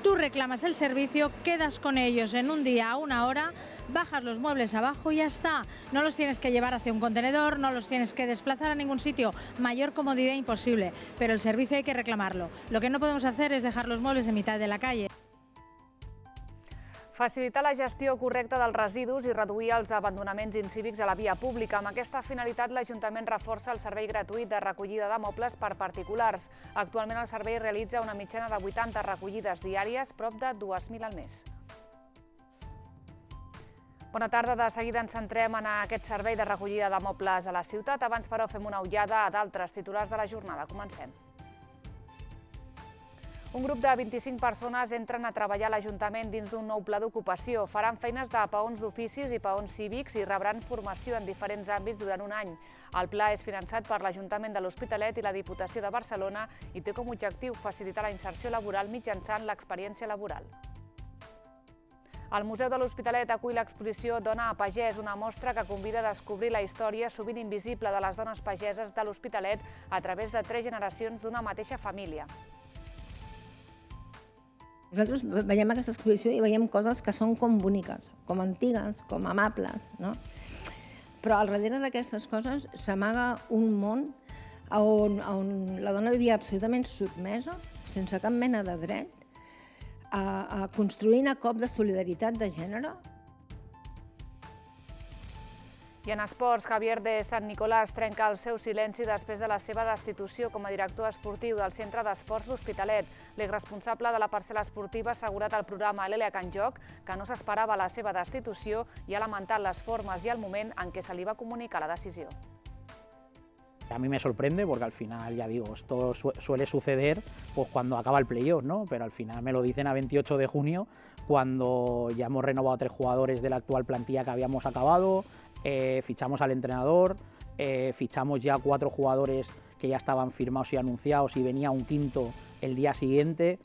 Tú reclamas el servicio, quedas con ellos en un día a una hora, bajas los muebles abajo y ya está. No los tienes que llevar hacia un contenedor, no los tienes que desplazar a ningún sitio. Mayor comodidad imposible, pero el servicio hay que reclamarlo. Lo que no podemos hacer es dejar los muebles en mitad de la calle. Facilitar la gestió correcta dels residus i reduir els abandonaments incívics a la via pública. Amb aquesta finalitat, l'Ajuntament reforça el servei gratuït de recollida de mobles per particulars. Actualment el servei realitza una mitjana de 80 recollides diàries, prop de 2.000 al mes. Bona tarda, de seguida ens centrem en aquest servei de recollida de mobles a la ciutat. Abans, però, fem una ullada a d'altres titulars de la jornada. Comencem. Un grup de 25 persones entren a treballar a l'Ajuntament dins d'un nou pla d'ocupació. Faran feines de peons d'oficis i peons cívics i rebran formació en diferents àmbits durant un any. El pla és finançat per l'Ajuntament de l'Hospitalet i la Diputació de Barcelona i té com a objectiu facilitar la inserció laboral mitjançant l'experiència laboral. El Museu de l'Hospitalet acull l'exposició Dona a Pagès, una mostra que convida a descobrir la història sovint invisible de les dones pageses de l'Hospitalet a través de 3 generacions d'una mateixa família. Nosaltres veiem aquesta exposició i veiem coses que són com boniques, com antigues, com amables, no? Però al darrere d'aquestes coses s'amaga un món on la dona vivia absolutament sotmesa, sense cap mena de dret, construint a cop de solidaritat de gènere. I en esports, Javier de Sant Nicolàs trenca el seu silenci després de la seva destitució com a director esportiu del Centre d'Esports L'Hospitalet. L'exresponsable de la parcel·la esportiva ha assegurat al programa L'Ele Can Joc que no s'esperava la seva destitució i ha lamentat les formes i el moment en què se li va comunicar la decisió. A mí me sorprende porque al final, ya digo, esto suele suceder pues cuando acaba el playoff, ¿no? Pero al final me lo dicen a 28 de junio, cuando ya hemos renovado 3 jugadores de la actual plantilla que habíamos acabado, fichamos al entrenador, fichamos ya 4 jugadores que ya estaban firmados y anunciados y venía un quinto el día siguiente.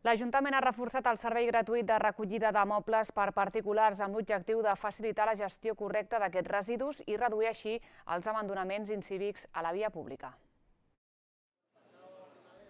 L'Ajuntament ha reforçat el servei gratuït de recollida de mobles per particulars amb l'objectiu de facilitar la gestió correcta d'aquests residus i reduir així els abandonaments incívics a la via pública.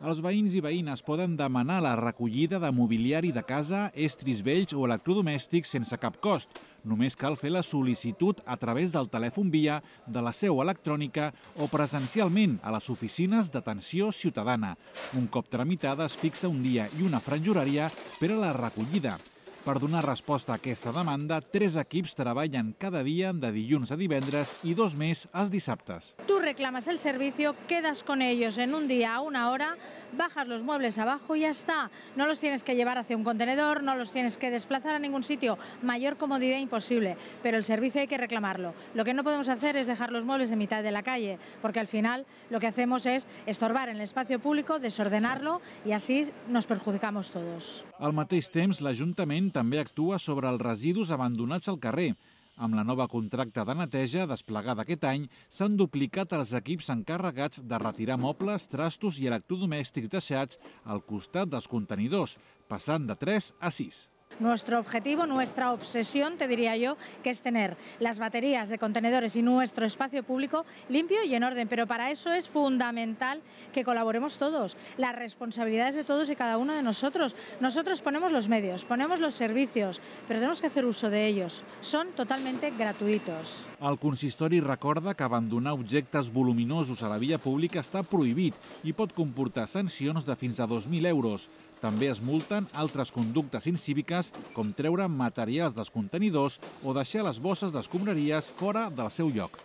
Els veïns i veïnes poden demanar la recollida de mobiliari de casa, estris vells o electrodomèstics sense cap cost. Només cal fer la sol·licitud a través del telèfon via, de la seu electrònica o presencialment a les oficines d'atenció ciutadana. Un cop tramitada es fixa un dia i una franja horària per a la recollida. Per donar resposta a aquesta demanda, 3 equips treballen cada dia de dilluns a divendres i 2 més els dissabtes. Tú reclamas el servicio, quedas con ellos en un día a una hora, bajas los muebles abajo y ya está. No los tienes que llevar hacia un contenedor, no los tienes que desplazar a ningún sitio. Mayor comodidad imposible, pero el servicio hay que reclamarlo. Lo que no podemos hacer es dejar los muebles en mitad de la calle, porque al final lo que hacemos es estorbar en el espacio público, desordenarlo y así nos perjudicamos todos. Al mateix temps, l'Ajuntament també actua sobre els residus abandonats al carrer. Amb la nova contracta de neteja desplegada aquest any, s'han duplicat els equips encarregats de retirar mobles, trastos i electrodomèstics deixats al costat dels contenidors, passant de 3 a 6. Nuestro objetivo, nuestra obsesión, te diría yo, que es tener las baterías de contenedores y nuestro espacio público limpio y en orden. Pero para eso es fundamental que colaboremos todos. La responsabilidad es de todos y cada uno de nosotros. Nosotros ponemos los medios, ponemos los servicios, pero tenemos que hacer uso de ellos. Son totalmente gratuitos. El consistori recorda que abandonar objectes voluminosos a la via pública està prohibit i pot comportar sancions de fins a 2.000 euros. També es multen altres conductes incíviques, com treure materials dels contenidors o deixar les bosses d'escombraries fora del seu lloc.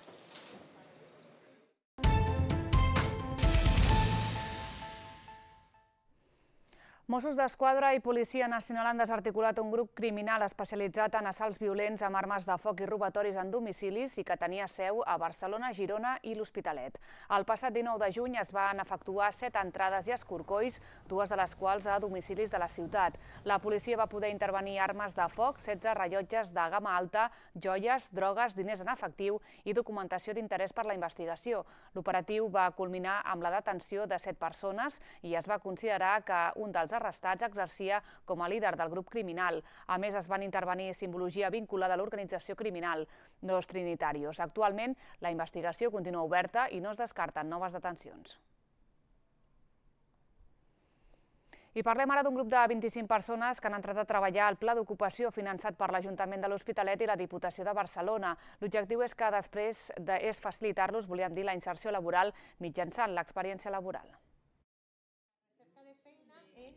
Mossos d'Esquadra i Policia Nacional han desarticulat un grup criminal especialitzat en assalts violents amb armes de foc i robatoris en domicilis i que tenia seu a Barcelona, Girona i l'Hospitalet. El passat 19 de juny es van efectuar 7 entrades i escorcolls, 2 de les quals a domicilis de la ciutat. La policia va poder intervenir armes de foc, 16 rellotges de gamma alta, joies, drogues, diners en efectiu i documentació d'interès per la investigació. L'operatiu va culminar amb la detenció de 7 persones i es va considerar que un dels arrestats exercia com a líder del grup criminal. A més, es van intervenir simbologia vinculada a l'organització criminal Los Trinitarios. Actualment, la investigació continua oberta i no es descarten noves detencions. I parlem ara d'un grup de 25 persones que han entrat a treballar al pla d'ocupació finançat per l'Ajuntament de l'Hospitalet i la Diputació de Barcelona. L'objectiu és que després és facilitar-los, volíem dir, la inserció laboral mitjançant l'experiència laboral.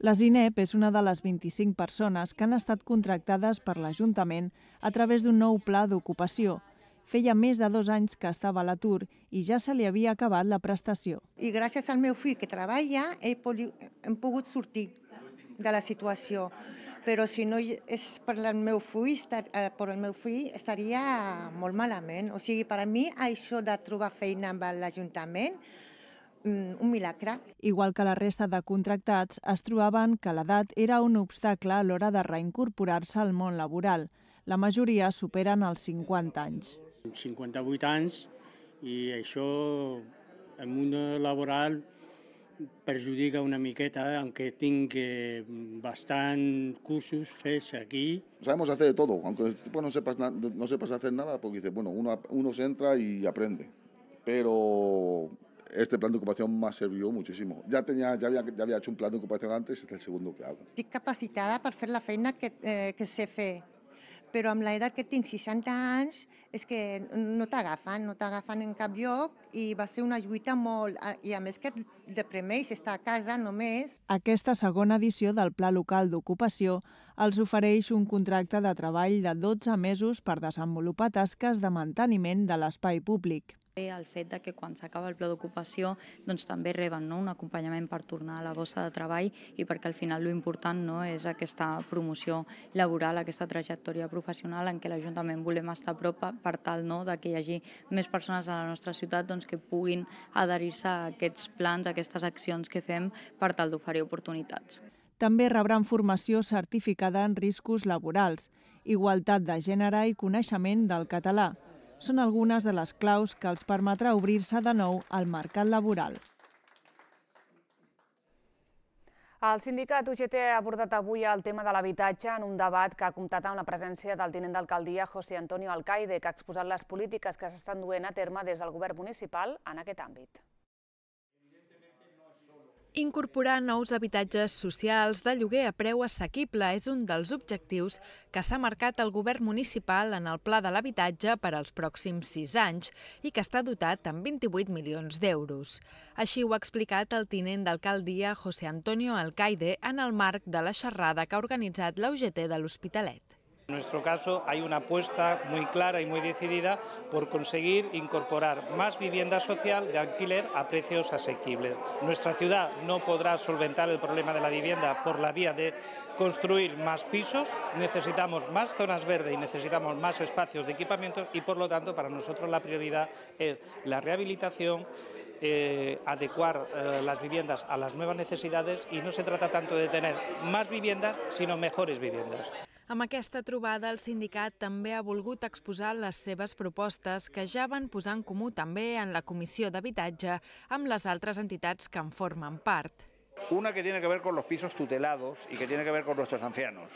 La Zineb és una de les 25 persones que han estat contractades per l'Ajuntament a través d'un nou pla d'ocupació. Feia més de 2 anys que estava a l'atur i ja se li havia acabat la prestació. I gràcies al meu fill que treballa hem pogut sortir de la situació. Però si no és per el meu fill estaria molt malament. O sigui, per a mi això de trobar feina amb l'Ajuntament, un milagre. Igual que la resta de contractats, es trobaven que l'edat era un obstacle a l'hora de reincorporar-se al món laboral. La majoria superen els 50 anys. 58 anys i això en món laboral perjudica una miqueta, aunque tinc bastant cursos fets aquí. Sabemos hacer de todo, aunque el tipo no sepas hacer nada, porque dice, bueno, uno se entra y aprende. Pero este plan de ocupación me ha servido muchísimo. Ya había hecho un plan de ocupación antes, este es el segundo que hago. Estic capacitada per fer la feina que sé fer, però amb l'edat que tinc, 60 anys, és que no t'agafen en cap lloc i va ser una lluita molt... I a més que et deprimeix estar a casa només. Aquesta segona edició del Pla Local d'Ocupació els ofereix un contracte de treball de 12 mesos per desenvolupar tasques de manteniment de l'espai públic. El fet de que quan s'acaba el pla d'ocupació també reben un acompanyament per tornar a la bossa de treball i perquè al final l'important és aquesta promoció laboral, aquesta trajectòria professional en què l'Ajuntament volem estar a prop per tal que hi hagi més persones a la nostra ciutat que puguin adherir-se a aquests plans, a aquestes accions que fem per tal d'oferir oportunitats. També rebran formació certificada en riscos laborals, igualtat de gènere i coneixement del català. Són algunes de les claus que els permetrà obrir-se de nou al mercat laboral. El sindicat UGT ha abordat avui el tema de l'habitatge en un debat que ha comptat amb la presència del tinent d'alcaldia José Antonio Alcaide, que ha exposat les polítiques que s'estan duent a terme des del govern municipal en aquest àmbit. Incorporar nous habitatges socials de lloguer a preu assequible és un dels objectius que s'ha marcat el govern municipal en el Pla de l'Habitatge per als pròxims 6 anys i que està dotat amb 28 milions d'euros. Així ho ha explicat el tinent d'alcaldia José Antonio Alcaide en el marc de la xerrada que ha organitzat la UGT de l'Hospitalet. En nuestro caso hay una apuesta muy clara y muy decidida por conseguir incorporar más vivienda social de alquiler a precios asequibles. Nuestra ciudad no podrá solventar el problema de la vivienda por la vía de construir más pisos, necesitamos más zonas verdes y necesitamos más espacios de equipamientos y por lo tanto para nosotros la prioridad es la rehabilitación, adecuar las viviendas a las nuevas necesidades y no se trata tanto de tener más viviendas sino mejores viviendas. Amb aquesta trobada, el sindicat també ha volgut exposar les seves propostes que ja van posar en comú també en la Comissió d'Habitatge amb les altres entitats que en formen part. Una que tiene que ver con los pisos tutelados y que tiene que ver con nuestros ancianos.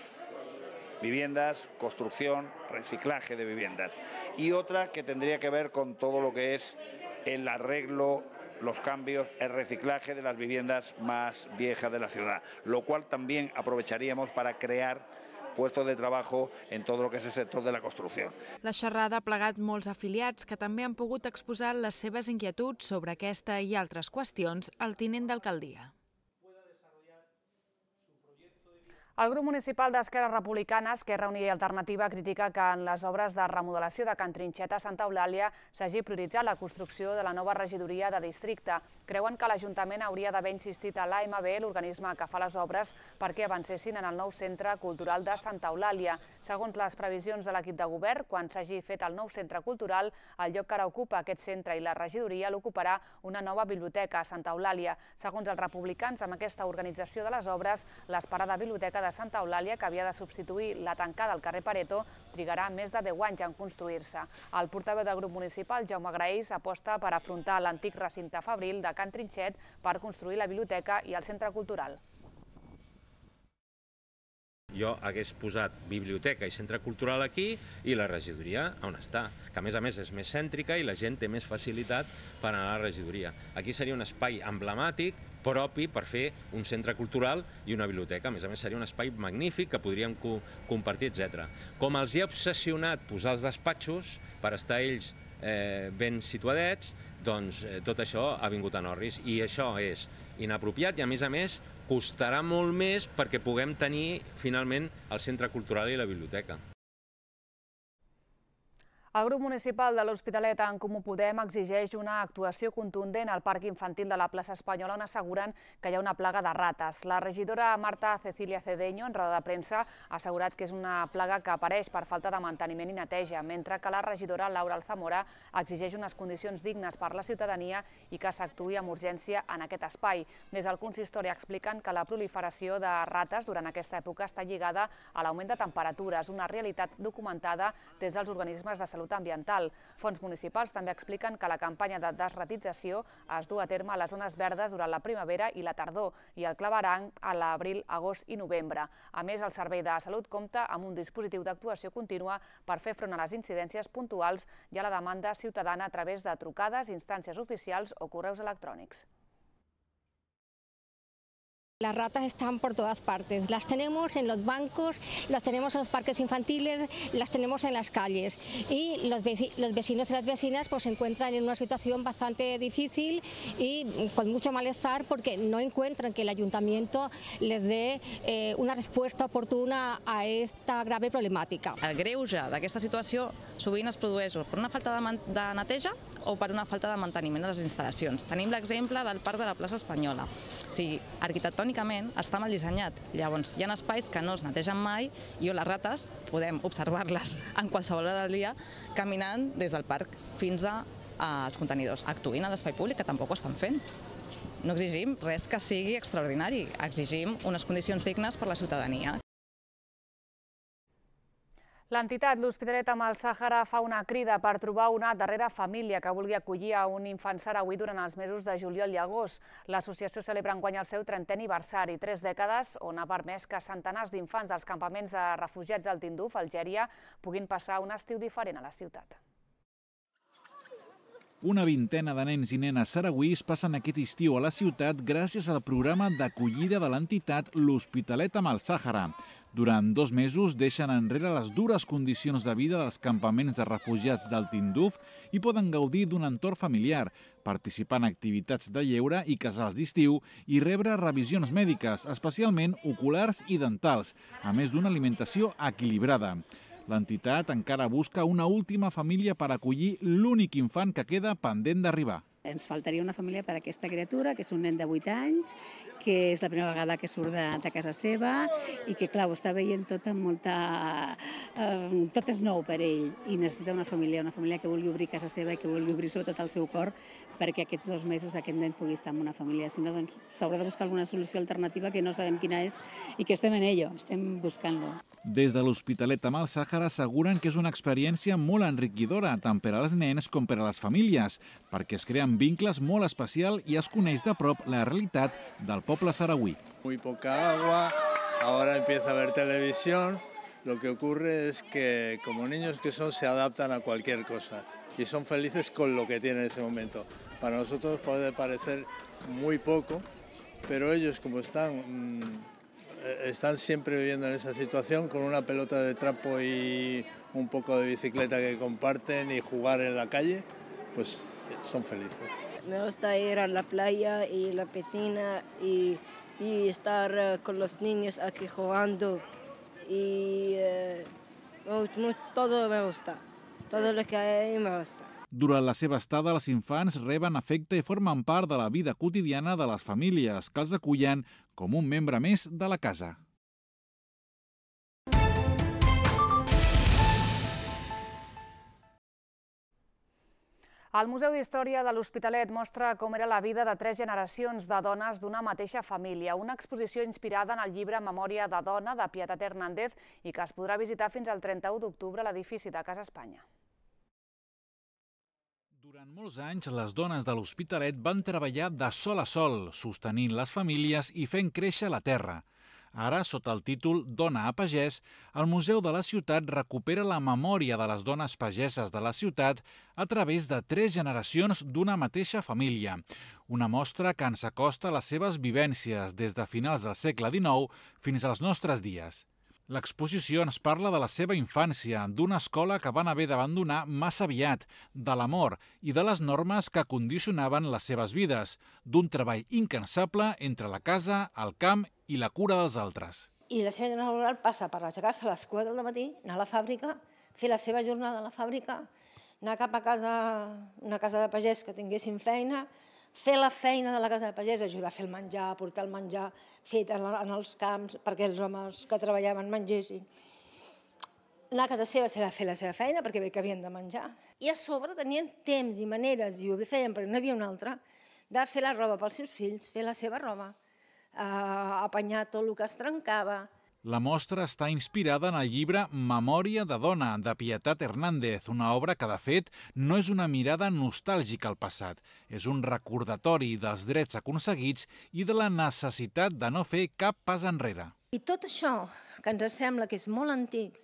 Viviendas, construcción, reciclaje de viviendas. Y otra que tendría que ver con todo lo que es el arreglo, los cambios, el reciclaje de las viviendas más viejas de la ciudad, lo cual también aprovecharíamos para crear puestos de trabajo en todo lo que és el sector de la construcció. La xerrada ha plegat molts afiliats que també han pogut exposar les seves inquietuds sobre aquesta i altres qüestions al tinent d'alcaldia. El grup municipal d'Esquerra Republicana, Esquerra Unida i Alternativa, critica que en les obres de remodelació de Can Trinxet a Santa Eulàlia s'hagi prioritzat la construcció de la nova regidoria de districte. Creuen que l'Ajuntament hauria d'haver insistit a l'AMB, l'organisme que fa les obres, perquè avancessin en el nou centre cultural de Santa Eulàlia. Segons les previsions de l'equip de govern, quan s'hagi fet el nou centre cultural, el lloc que ara ocupa aquest centre i la regidoria l'ocuparà una nova biblioteca a Santa Eulàlia. Segons els republicans, amb aquesta organització de les obres, l'esperada biblioteca de Santa Eulàlia, que havia de substituir la tancada al carrer Pareto, trigarà més de 10 anys en construir-se. El portaveu del grup municipal, Jaume Graells, aposta per afrontar l'antic recinte fabril de Can Trinxet per construir la biblioteca i el centre cultural. Jo hagués posat biblioteca i centre cultural aquí i la regidoria on està, que a més és més cèntrica i la gent té més facilitat per anar a la regidoria. Aquí seria un espai emblemàtic, propi per fer un centre cultural i una biblioteca. A més seria un espai magnífic que podríem compartir, etc. Com els hi ha obsessionat posar els despatxos per estar ells ben situadets, doncs tot això ha vingut en orris i això és inapropiat i a més costarà molt més perquè puguem tenir finalment el centre cultural i la biblioteca. El grup municipal de l'Hospitalet en Comú Podem exigeix una actuació contundent al parc infantil de la plaça Espanyola on asseguren que hi ha una plaga de rates. La regidora Marta Cecilia Cedeño, en roda de premsa, ha assegurat que és una plaga que apareix per falta de manteniment i neteja, mentre que la regidora Laura Alzamora exigeix unes condicions dignes per la ciutadania i que s'actuï amb urgència en aquest espai. Des del consistori expliquen que la proliferació de rates durant aquesta època està lligada a l'augment de temperatures, una realitat documentada des dels organismes de salut ambiental. Fons municipals també expliquen que la campanya de desratització es du a terme a les zones verdes durant la primavera i la tardor i el claveranc a l'abril, agost i novembre. A més, el Servei de Salut compta amb un dispositiu d'actuació contínua per fer front a les incidències puntuals i a la demanda ciutadana a través de trucades, instàncies oficials o correus electrònics. Las ratas están por todas partes, las tenemos en los bancos, las tenemos en los parques infantiles, las tenemos en las calles y los vecinos y las vecinas pues se encuentran en una situación bastante difícil y con mucho malestar porque no encuentran que el ayuntamiento les dé una respuesta oportuna a esta grave problemàtica. El greuge d'aquesta situació sovint es produeix per una falta de neteja o per una falta de manteniment de les instal·lacions. Tenim l'exemple del Parc de la plaça Espanyola. O sigui, arquitectònicament està mal dissenyat. Llavors, hi ha espais que no es netegen mai i on les rates podem observar-les en qualsevol hora del dia caminant des del parc fins als contenidors. Actuïn a l'espai públic, que tampoc ho estan fent. No exigim res que sigui extraordinari, exigim unes condicions dignes per a la ciutadania. L'entitat L'Hospitalet amb el Sàhara fa una crida per trobar una darrera família que vulgui acollir a un infant sarauí durant els mesos de juliol i agost. L'associació celebra enguany el seu 30è aniversari, 3 dècades on ha permès que centenars d'infants dels campaments de refugiats del Tinduf, Algèria, puguin passar un estiu diferent a la ciutat. Una vintena de nens i nenes sarauís passen aquest estiu a la ciutat gràcies al programa d'acollida de l'entitat L'Hospitalet amb el Sàhara. Durant 2 mesos deixen enrere les dures condicions de vida dels campaments de refugiats del Tinduf i poden gaudir d'un entorn familiar, participar en activitats de lleure i casals d'estiu i rebre revisions mèdiques, especialment oculars i dentals, a més d'una alimentació equilibrada. L'entitat encara busca una última família per acollir l'únic infant que queda pendent d'arribar. Ens faltaria una família per a aquesta criatura, que és un nen de 8 anys, que és la primera vegada que surt de casa seva i que, clar, ho està veient tot amb molta... Tot és nou per ell i necessita una família que vulgui obrir casa seva i que vulgui obrir sobretot el seu cor perquè aquests 2 mesos aquest nen pugui estar en una família. Si no, doncs s'haurà de buscar alguna solució alternativa que no sabem quina és i que estem en ello, estem buscant-lo. Des de l'Hospitalet amb el Sàhara asseguren que és una experiència molt enriquidora tant per als nens com per a les famílies, perquè es creen vincles molt especial i es coneix de prop la realitat del poble sarauí. Muy poca agua, ahora empieza a ver televisión. Lo que ocurre es que como niños que son se adaptan a cualquier cosa y son felices con lo que tienen en ese momento. Para nosotros puede parecer muy poco, pero ellos como están siempre viviendo en esa situación con una pelota de trapo y un poco de bicicleta que comparten y jugar en la calle, pues son felices. Me gusta ir a la playa y la piscina y estar con los niños aquí jugando y todo me gusta, todo lo que hay me gusta. Durant la seva estada, els infants reben afecte i formen part de la vida quotidiana de les famílies, que els acullen com un membre més de la casa. El Museu d'Història de l'Hospitalet mostra com era la vida de 3 generacions de dones d'una mateixa família. Una exposició inspirada en el llibre Memòria de dona de Pietat Hernández i que es podrà visitar fins al 31 d'octubre a l'edifici de Casa Espanya. Durant molts anys, les dones de l'Hospitalet van treballar de sol a sol, sostenint les famílies i fent créixer la terra. Ara, sota el títol Dona a pagès, el Museu de la Ciutat recupera la memòria de les dones pageses de la ciutat a través de 3 generacions d'una mateixa família. Una mostra que ens acosta a les seves vivències des de finals del segle XIX fins als nostres dies. L'exposició ens parla de la seva infància, d'una escola que van haver d'abandonar massa aviat, de l'amor i de les normes que condicionaven les seves vides, d'un treball incansable entre la casa, el camp i la cura dels altres. I la seva jornada laboral passa per aixecar-se a les 4 del matí, anar a la fàbrica, fer la seva jornada a la fàbrica, anar cap a casa, una casa de pagès que tinguessin feina, fer la feina de la casa de pagès, ajudar a fer el menjar, portar el menjar fet en els camps perquè els homes que treballaven mengessin. Anar a casa seva serà fer la seva feina perquè bé que havien de menjar. I a sobre tenien temps i maneres, i ho feien perquè no hi havia una altra, de fer la roba pels seus fills, fer la seva roba, apanyar tot el que es trencava. La mostra està inspirada en el llibre Memòria de dona, de Pietat Hernández, una obra que, de fet, no és una mirada nostàlgica al passat. És un recordatori dels drets aconseguits i de la necessitat de no fer cap pas enrere. I tot això, que ens sembla que és molt antic,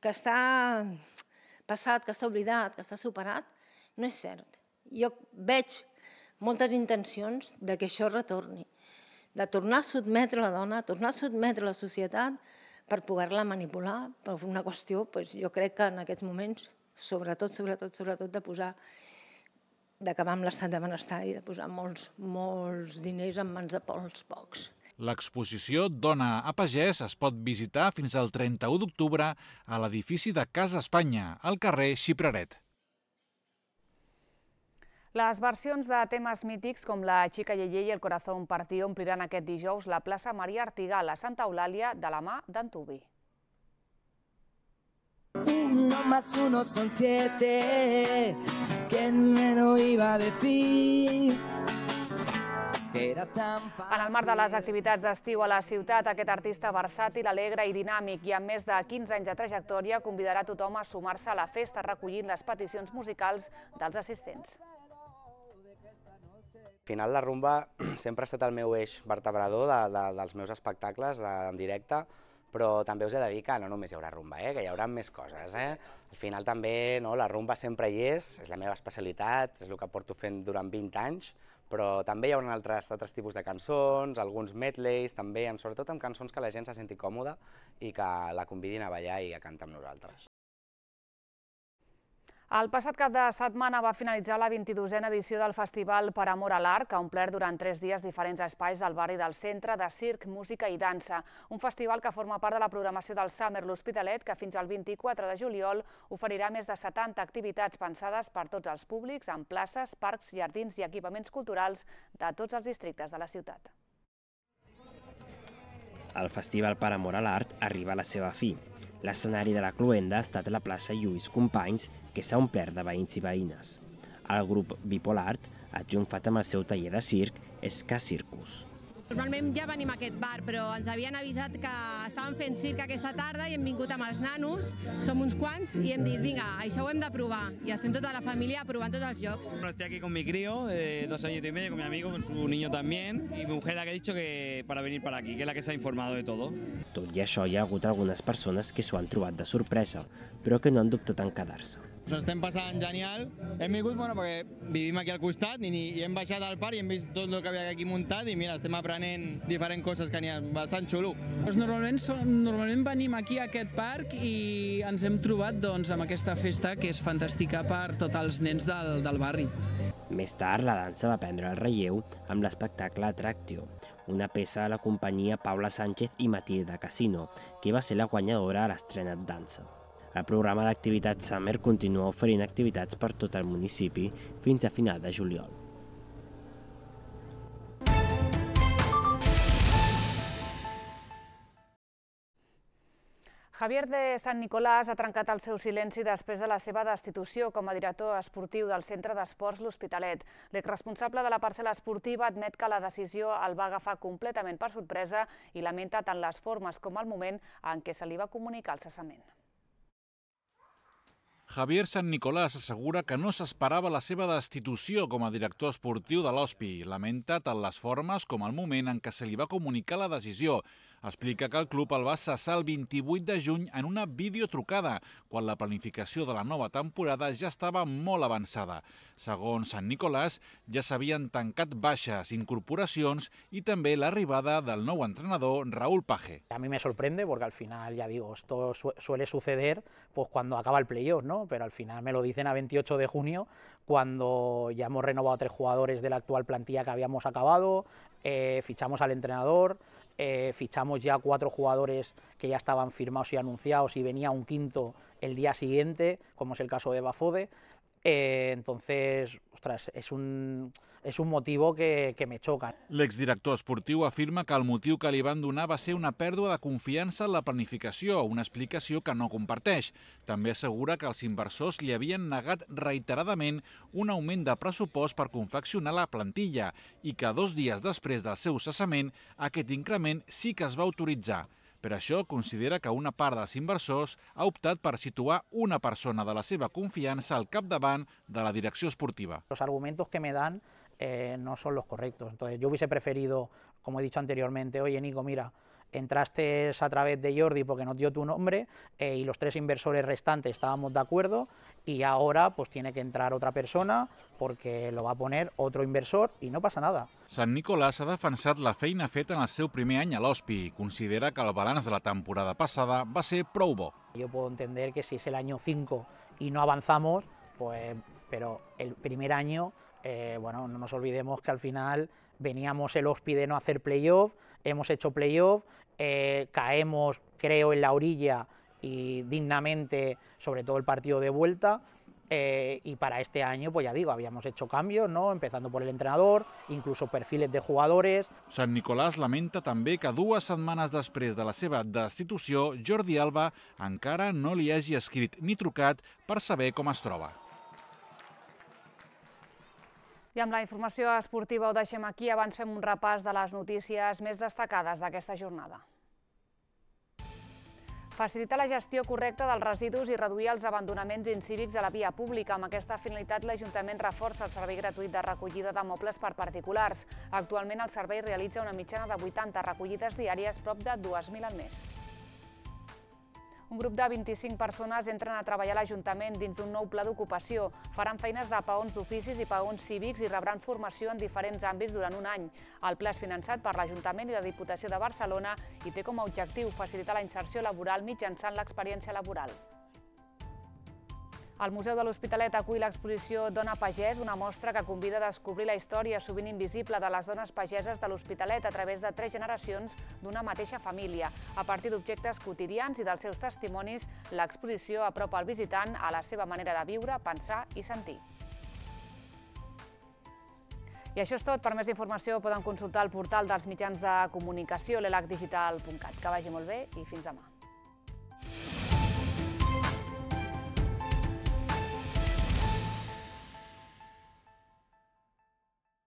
que està passat, que està oblidat, que està superat, no és cert. Jo veig moltes intencions de que això retorni, de tornar a sotmetre la dona, tornar a sotmetre la societat per poder-la manipular, per una qüestió, jo crec que en aquests moments, sobretot d'acabar amb l'estat de benestar i de posar molts diners en mans de pocs. L'exposició Dona a pagès es pot visitar fins al 31 d'octubre a l'edifici de Casa Espanya, al carrer Xipraret. Les versions de temes mítics com la Chica Yeye i el Corazón Partido ompliran aquest dijous la plaça Maria Artigal a Santa Eulàlia de la mà d'Antubi. 1 más 1 son 7, ¿quién me lo iba a decir? En el marc de les activitats d'estiu a la ciutat, aquest artista versàtil, alegre i dinàmic i amb més de 15 anys de trajectòria convidarà tothom a sumar-se a la festa recollint les peticions musicals dels assistents. Al final la rumba sempre ha estat el meu eix vertebrador dels meus espectacles en directe, però també us he de dir que no només hi haurà rumba, que hi haurà més coses. Al final també la rumba sempre hi és la meva especialitat, és el que porto fent durant 20 anys, però també hi haurà altres tipus de cançons, alguns medleys també, sobretot amb cançons que la gent se senti còmoda i que la convidin a ballar i a cantar amb nosaltres. El passat cap de setmana va finalitzar la 22a edició del Festival Per Amor a l'Art, que ha omplert durant 3 dies diferents espais del barri del centre de circ, música i dansa. Un festival que forma part de la programació del Summer L'Hospitalet, que fins al 24 de juliol oferirà més de 70 activitats pensades per tots els públics en places, parcs, jardins i equipaments culturals de tots els districtes de la ciutat. El Festival Per Amor a l'Art arriba a la seva fi. L'escenari de la cloenda ha estat la plaça Lluís Companys, que s'ha omplert de veïns i veïnes. El grup Bipolart ha triomfat amb el seu taller de circ Ska Circus. Normalment ja venim a aquest bar, però ens havien avisat que estaven fent circ aquesta tarda i hem vingut amb els nanos, som uns quants, i hem dit, vinga, això ho hem de provar. I estem tota la família provant tots els jocs. Estoy aquí con mi crío de 2 años y medio, con mi amigo, con su niño también, y mi mujer la que ha dicho que para venir para aquí, que es la que se ha informado de todo. Tot i això, hi ha hagut algunes persones que s'ho han trobat de sorpresa, però que no han dubtat en quedar-se. Ens estem passant genial. Hem vingut perquè vivim aquí al costat i hem baixat al parc i hem vist tot el que havia aquí muntat i mira, estem aprenent diferents coses que n'hi ha, bastant xulo. Normalment venim aquí a aquest parc i ens hem trobat amb aquesta festa que és fantàstica per tots els nens del barri. Més tard, la dansa va prendre el relleu amb l'espectacle Atractio, una peça de la companyia Paula Sánchez i Matilda Casino, que va ser la guanyadora a l'estrena de dansa. El programa d'activitats Summer continua oferint activitats per tot el municipi fins a final de juliol. Javier de Sant Nicolàs ha trencat el seu silenci després de la seva destitució com a director esportiu del Centre d'Esports L'Hospitalet. L'exresponsable de la parcel·la esportiva admet que la decisió el va agafar completament per sorpresa i lamenta tant les formes com el moment en què se li va comunicar el cessament. Javier Sant Nicolàs assegura que no s'esperava la seva destitució com a director esportiu de l'Hospi. Lamenta tant les formes com el moment en què se li va comunicar la decisió. Explica que el club el va cessar el 28 de juny en una videotrucada, quan la planificació de la nova temporada ja estava molt avançada. Segons Sant Nicolás, ja s'havien tancat baixes, incorporacions y también la arribada del nuevo entrenador Raúl Page. A mí me sorprende porque al final, ya digo, esto suele suceder pues cuando acaba el playoff, ¿no? Pero al final me lo dicen a 28 de junio, cuando ya hemos renovado 3 jugadores de la actual plantilla que habíamos acabado, fichamos al entrenador, fichamos ya 4 jugadores que ya estaban firmados y anunciados y venía un quinto el día siguiente, como es el caso de Bafode. Entonces, ostras, es un motivo que me xoca. L'exdirector esportiu afirma que el motiu que li van donar va ser una pèrdua de confiança en la planificació, una explicació que no comparteix. També assegura que els inversors li havien negat reiteradament un augment de pressupost per confeccionar la plantilla i que 2 dies després del seu cessament aquest increment sí que es va autoritzar. Per això considera que una part dels inversors ha optat per situar una persona de la seva confiança al capdavant de la direcció esportiva. Los argumentos que me dan no son los correctos. Entonces yo hubiese preferido, como he dicho anteriormente, oye Nico, mira, entraste a través de Jordi porque nos dio tu nombre y los 3 inversores restantes estábamos de acuerdo y ahora pues tiene que entrar otra persona porque lo va a poner otro inversor y no pasa nada. Sant Nicolás ha defensat la feina feta en el seu primer any a l'Hospi i considera que el balanç de la temporada passada va ser prou bo. Yo puedo entender que si es el año 5 y no avanzamos, pues, pero el primer año, bueno, no nos olvidemos que al final veníamos el Hospi de no hacer playoff, hemos hecho playoff, caemos, creo, en la orilla y dignamente, sobre todo el partido de vuelta, y para este año, pues ya digo, habíamos hecho cambios, ¿no? Empezando por el entrenador, incluso perfiles de jugadores. Sant Nicolás lamenta també que 2 setmanes després de la seva destitució, Jordi Alba encara no li hagi escrit ni trucat per saber com es troba. I amb la informació esportiva ho deixem aquí. Abans fem un repàs de les notícies més destacades d'aquesta jornada. Facilitar la gestió correcta dels residus i reduir els abandonaments incívics a la via pública. Amb aquesta finalitat, l'Ajuntament reforça el servei gratuït de recollida de mobles per particulars. Actualment, el servei realitza una mitjana de 80 recollides diàries, prop de 2.000 al mes. Un grup de 25 persones entren a treballar a l'Ajuntament dins d'un nou pla d'ocupació. Faran feines de peons d'oficis i peons cívics i rebran formació en diferents àmbits durant un any. El pla és finançat per l'Ajuntament i la Diputació de Barcelona i té com a objectiu facilitar la inserció laboral mitjançant l'experiència laboral. El Museu de l'Hospitalet acull l'exposició Dona Pagès, una mostra que convida a descobrir la història sovint invisible de les dones pageses de l'Hospitalet a través de 3 generacions d'una mateixa família. A partir d'objectes quotidians i dels seus testimonis, l'exposició apropa el visitant a la seva manera de viure, pensar i sentir. I això és tot. Per més informació poden consultar el portal dels mitjans de comunicació, l'elacdigital.cat. Que vagi molt bé i fins demà.